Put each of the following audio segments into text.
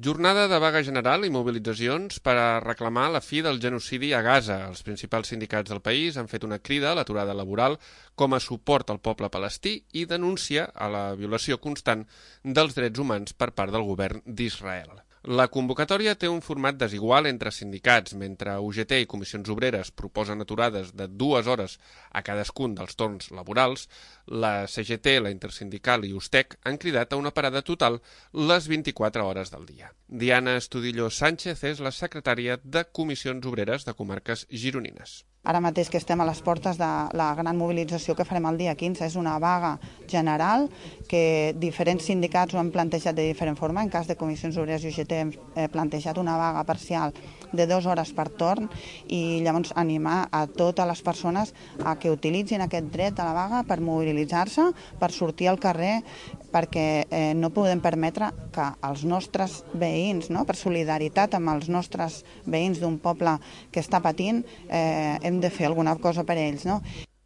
Jornada de vaga general i mobilitzacions per a reclamar la fi del genocidi a Gaza. Els principals sindicats del país han fet una crida a l'aturada laboral com a suport al poble palestí i denúncia a la violació constant dels drets humans per part del govern d'Israel. La convocatòria té un format desigual entre sindicats. Mentre UGT i Comissions Obreres proposen aturades de 2 hores a cadascun dels torns laborals, la CGT, la Intersindical i USTEC han cridat a una parada total les 24 hores del dia. Diana Estudillo Sánchez és la secretària de Comissions Obreres de Comarques Gironines. Ara mateix que estem a les portes de la gran mobilització que farem el dia 15, és una vaga general que diferents sindicats ho han plantejat de diferent forma. En cas de Comissions Obreres i UGT hem plantejat una vaga parcial de 2 hores per torn i llavors animar a totes les persones a que utilitzin aquest dret de la vaga per mobilitzar-se, per sortir al carrer, perquè no podem permetre que els nostres veïns, per solidaritat amb els nostres veïns d'un poble que està patint, hem de fer alguna cosa per ells.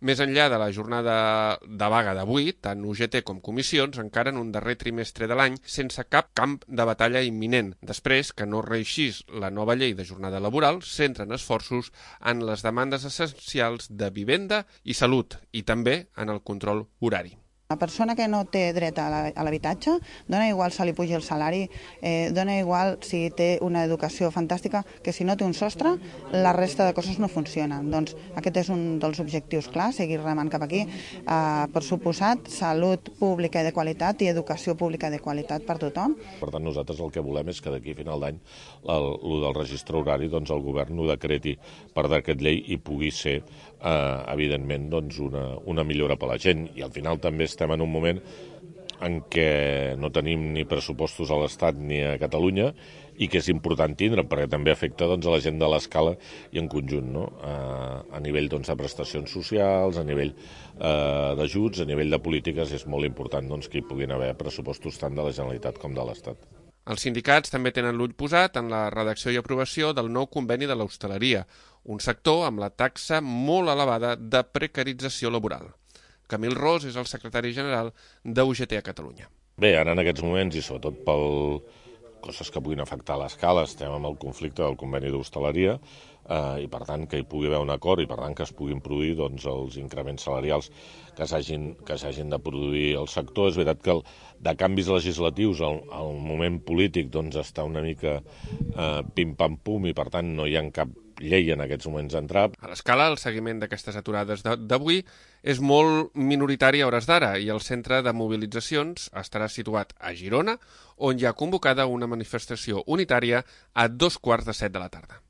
Més enllà de la jornada de vaga d'avui, tant UGT com comissions encara en un darrer trimestre de l'any sense cap camp de batalla imminent. Després que no reeixís la nova llei de jornada laboral, centren esforços en les demandes essencials de vivenda i salut i també en el control horari. La persona que no té dret a l'habitatge, dona igual si li puja el salari, dona igual si té una educació fantàstica, que si no té un sostre, la resta de coses no funcionen. Doncs aquest és un dels objectius clars, seguir remant cap aquí. Per suposat, salut pública i de qualitat i educació pública de qualitat per tothom. Per tant, nosaltres el que volem és que d'aquí a final d'any el del registre horari el govern ho decreti per decret llei i pugui ser, evidentment, una millora per a la gent. I al final també estem en un moment en què no tenim ni pressupostos a l'Estat ni a Catalunya i que és important tindre, perquè també afecta a la gent de l'escala i en conjunt, a nivell de prestacions socials, a nivell d'ajuts, a nivell de polítiques, és molt important que hi puguin haver pressupostos tant de la Generalitat com de l'Estat. Els sindicats també tenen l'ull posat en la redacció i aprovació del nou conveni de l'hostaleria, un sector amb la taxa molt elevada de precarització laboral. Camil Ros és el secretari general d'UGT a Catalunya. Bé, ara en aquests moments, i sobretot per coses que puguin afectar l'escala, estem amb el conflicte del conveni d'hostaleria i, per tant, que hi pugui haver un acord i, per tant, que es puguin produir els increments salarials que s'hagin de produir al sector. És veritat que de canvis legislatius el moment polític està una mica pim-pam-pum i, per tant, no hi ha cap llei en aquests moments d'entrar. A l'escala, el seguiment d'aquestes aturades d'avui és molt minoritari a hores d'ara i el centre de mobilitzacions estarà situat a Girona, on hi ha convocada una manifestació unitària a 6:15 de la tarda.